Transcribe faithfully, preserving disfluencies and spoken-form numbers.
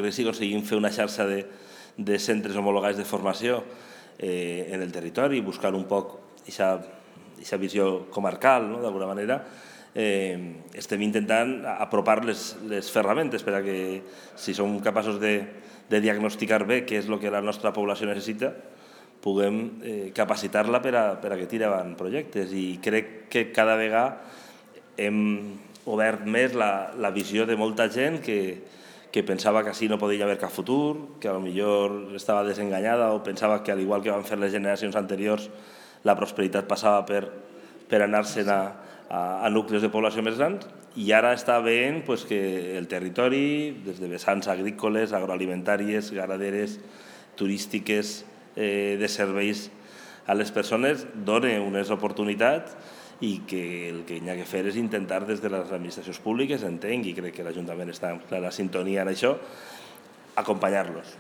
Crec que si aconseguim fer una xarxa de, de centres homologats de formació eh, en el territori, buscar un poc aquesta visió comarcal, no? D'alguna manera, eh, estem intentant apropar les, les ferramentes per a que, si som capaços de, de diagnosticar bé què és el que la nostra població necessita, puguem eh, capacitar-la per a, per a que tiri avant projectes. I crec que cada vegada hem obert més la, la visió de molta gent que, que pensava que així no podia haver cap futur, que potser estava desenganyada o pensava que, al igual que van fer les generacions anteriors, la prosperitat passava per, per anar-se'n a, a, a nuclis de població més grans, i ara està veient pues, que el territori, des de vessants agrícoles, agroalimentàries, ganaderes, turístiques, eh, de serveis a les persones, dona unes oportunitats i que el que hi ha que fer és intentar des de les administracions públiques, entenc, i crec que l'Ajuntament està en clara sintonia en això, acompanyar-los.